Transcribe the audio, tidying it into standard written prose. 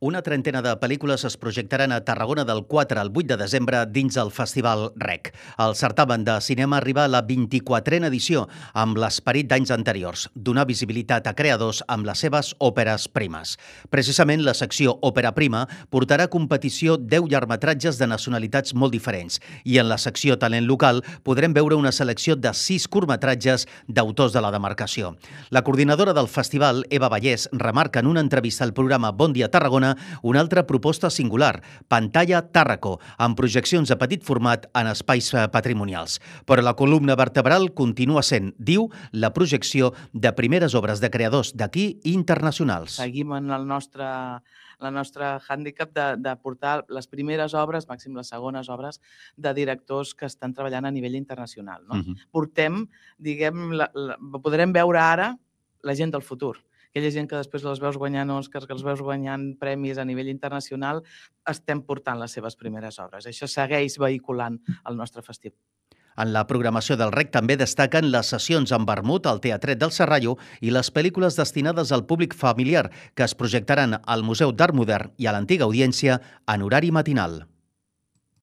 Una trentena de pel·lícules es projectaran a Tarragona del 4 al 8 de desembre dins el Festival REC. El certamen de cinema arriba a la 24a edició amb l'esperit d'anys anteriors, donar visibilitat a creadors amb les seves òperes primes. Precisament la secció Òpera Prima portarà a competició 10 llargmetratges de nacionalitats molt diferents i en la secció Talent Local podrem veure una selecció de 6 curtmetratges d'autors de la demarcació. La coordinadora del festival, Eva Vallès, remarca en una entrevista al programa Bon Dia Tarragona una altra proposta singular, Pantalla Tàrraco, amb projeccions a petit format en espais patrimonials. Però la columna vertebral continua sent, diu, la projecció de primeres obres de creadors d'aquí i internacionals. Seguim en la nostra hàndicap de portar les primeres obres, màxim les segones obres, de directors que estan treballant a nivell internacional. Portem, podrem veure ara la gent del futur. Aquella gent que després les veus guanyant Oscars, que els veus guanyant premis a nivell internacional, estem portant les seves primeres obres. Això segueix vehiculant el nostre festival. En la programació del REC també destaquen les sessions amb vermut al Teatret del Serrallo i les pel·lícules destinades al públic familiar que es projectaran al Museu d'Art Modern i a l'Antiga Audiència en horari matinal.